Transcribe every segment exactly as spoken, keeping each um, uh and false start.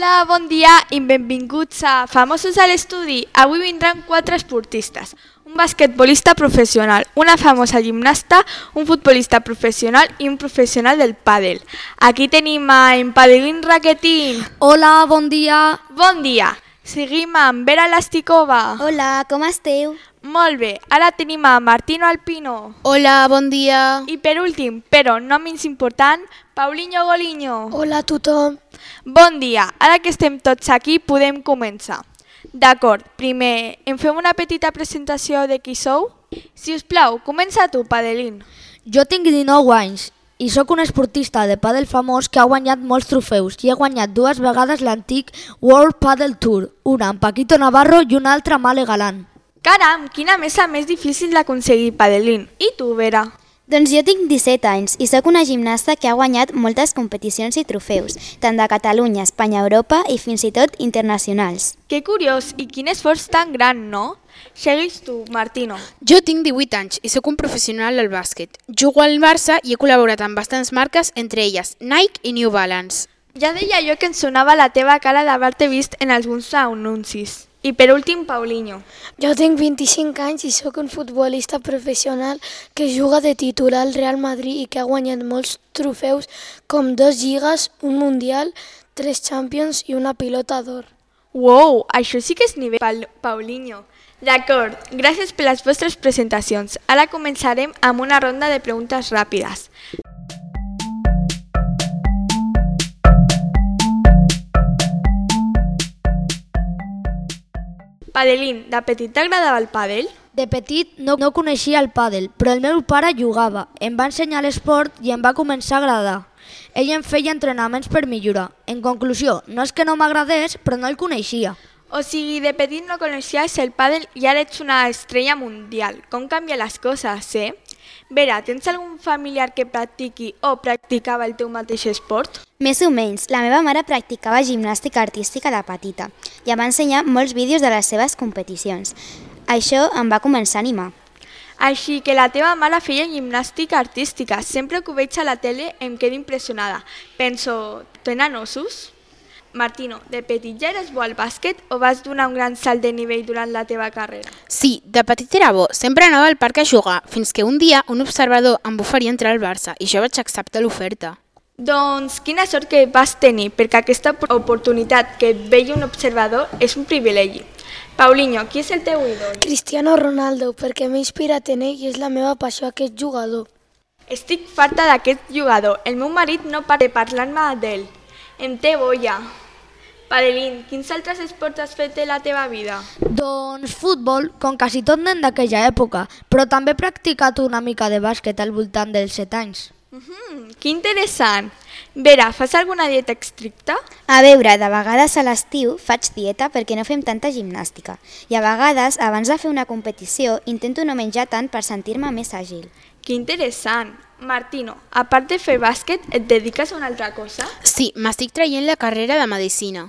Hola, bon dia i benvinguts a Famosos a l'estudi. Avui vindran quatre esportistes. Un basquetbolista professional, una famosa gimnasta, un futbolista professional i un professional del pàdel. Aquí tenim a en Padelín Raquetín. Hola, bon dia. Bon dia. Seguim amb Vera Lastikova. Hola, com esteu? Molt bé. Ara tenim a Martino Alpino. Hola, bon dia. I per últim, però no menys important, Paulinho Goliño. Hola a tothom. Bon dia. Ara que estem tots aquí podem començar. D'acord, primer, em fem una petita presentació de qui sou? Si us plau, comença tu, Padelín. Jo tinc dinou anys i sóc un esportista de pàdel famós que ha guanyat molts trofeus i he guanyat dues vegades l'antic World Padel Tour, una amb Paquito Navarro i una altra amb Ale Galán. Caram, quina mesa més difícil d'aconseguir, Padelín. I tu, Vera? Doncs jo tinc disset anys i sóc una gimnasta que ha guanyat moltes competicions i trofeus, tant de Catalunya, Espanya, Europa i fins i tot internacionals. Que curiós i quin esforç tan gran, no? Segueix tu, Martino. Jo tinc divuit anys i sóc un professional del bàsquet. Jugo al Barça i he col·laborat amb bastants marques, entre elles Nike i New Balance. Ja deia jo que em sonava la teva cara d'haver-te vist en alguns anuncis. I per últim, Paulinho. Jo tinc vint-i-cinc anys i sóc un futbolista professional que juga de titular al Real Madrid i que ha guanyat molts trofeus com dos lligues, un mundial, tres Champions i una pilota d'or. Uau, això sí que és nivell, pa Paulinho. D'acord, gràcies per les vostres presentacions. Ara començarem amb una ronda de preguntes ràpides. Padelín, de petit t'agradava el pàdel? De petit no, no coneixia el pàdel, però el meu pare jugava, em va ensenyar l'esport i em va començar a agradar. Ell em feia entrenaments per millorar. En conclusió, no és que no m'agradés, però no el coneixia. O sigui, de petit no coneixies el pàdel i ara ets una estrella mundial. Com canvia les coses, eh? Vera, tens algun familiar que practiqui o practicava el teu mateix esport? Més o menys, la meva mare practicava gimnàstica artística de petita i em va ensenyar molts vídeos de les seves competicions. Això em va començar a animar. Així que la teva mare feia gimnàstica artística. Sempre que ho veig a la tele em quedo impressionada. Penso, tenen ossos? Martino, de petit ja eres bo al bàsquet o vas donar un gran salt de nivell durant la teva carrera? Sí, de petit era bo. Sempre anava al parc a jugar, fins que un dia un observador em va oferir entrar al Barça i jo vaig acceptar l'oferta. Doncs quina sort que vas tenir, perquè aquesta oportunitat que et veia un observador és un privilegi. Paulinho, qui és el teu ídol? Cristiano Ronaldo, perquè m'he inspirat en ell i és la meva passió aquest jugador. Estic farta d'aquest jugador. El meu marit no para de parlar-me d'ell. Em té boia. Padelín, quins altres esports has fet de la teva vida? Doncs futbol, com quasi tot nen d'aquella època, però també he practicat una mica de bàsquet al voltant dels set anys. Mm-hmm, que interessant. Vera, fas alguna dieta estricta? A veure, de vegades a l'estiu faig dieta perquè no fem tanta gimnàstica i a vegades, abans de fer una competició, intento no menjar tant per sentir-me més àgil. Que interessant. Martino, a part de fer bàsquet, et dediques a una altra cosa? Sí, m'estic traient la carrera de Medicina.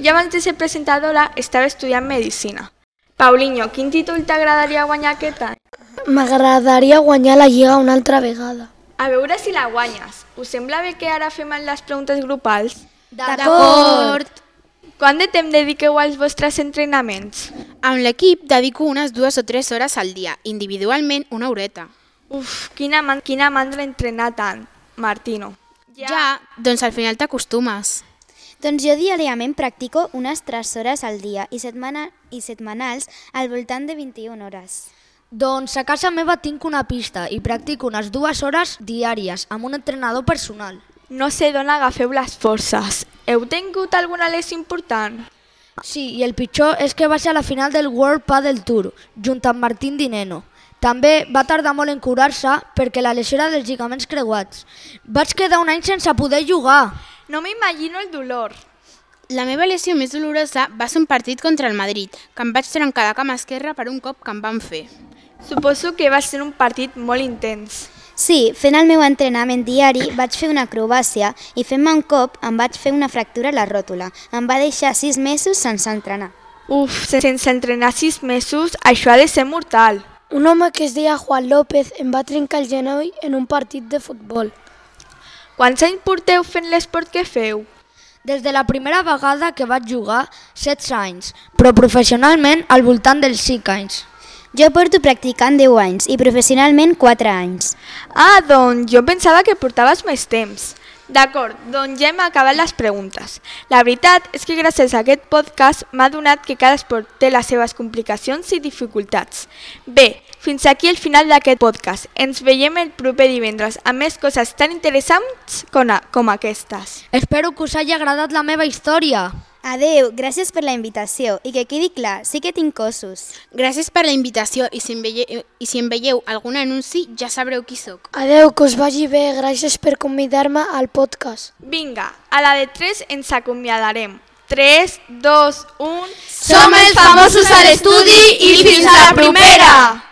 Ja abans de ser presentadora estava estudiant Medicina. Paulinho, quin títol t'agradaria guanyar aquest any? M'agradaria guanyar la lliga una altra vegada. A veure si la guanyes. Us sembla bé que ara fem les preguntes grupals? D'acord! Quant de temps dediqueu als vostres entrenaments? Amb l'equip dedico unes dues o tres hores al dia, individualment una horeta. Uf, quina, man quina mandra entrenar tant, Martino. Ja, ja doncs al final t'acostumes. Doncs jo diàriament practico unes tres hores al dia i, setmana, i setmanals al voltant de vint-i-una hores. Doncs a casa meva tinc una pista i practico unes dues hores diàries amb un entrenador personal. No sé d'on agafeu les forces. Heu tingut alguna lesió important? Sí, i el pitjor és que vaig a la final del World Padel Tour, junt amb Martín Dineno. També va tardar molt en curar-se perquè la lesió era dels lligaments creuats. Vaig quedar un any sense poder jugar. No m'imagino el dolor. La meva lesió més dolorosa va ser un partit contra el Madrid, que em vaig trencar la cama esquerra per un cop que em van fer. Suposo que va ser un partit molt intens. Sí, fent el meu entrenament diari vaig fer una acrobàcia i fent-me un cop em vaig fer una fractura a la ròtula. Em va deixar sis mesos sense entrenar. Uf, sense entrenar sis mesos, això ha de ser mortal. Un home que es deia Juan López em va trencar el genoll en un partit de futbol. Quants anys porteu fent l'esport que feu? Des de la primera vegada que vaig jugar, setze anys, però professionalment al voltant dels cinc anys. Jo porto practicant deu anys i professionalment quatre anys. Ah, doncs jo pensava que portaves més temps. D'acord, doncs ja hem acabat les preguntes. La veritat és que gràcies a aquest podcast m'ha donat que cada esport té les seves complicacions i dificultats. Bé, fins aquí el final d'aquest podcast. Ens veiem el proper divendres amb més coses tan interessants com, a, com aquestes. Espero que us hagi agradat la meva història. Adeu, gràcies per la invitació i que quedi clar, sí que tinc cossos. Gràcies per la invitació i si em veieu, i si em veieu algun anunci ja sabreu qui sóc. Adeu, que us vagi bé, gràcies per convidar-me al podcast. Vinga, a la de tres ens acomiadarem. tres, dos, un... Som els famosos a l'estudi i fins a la propera!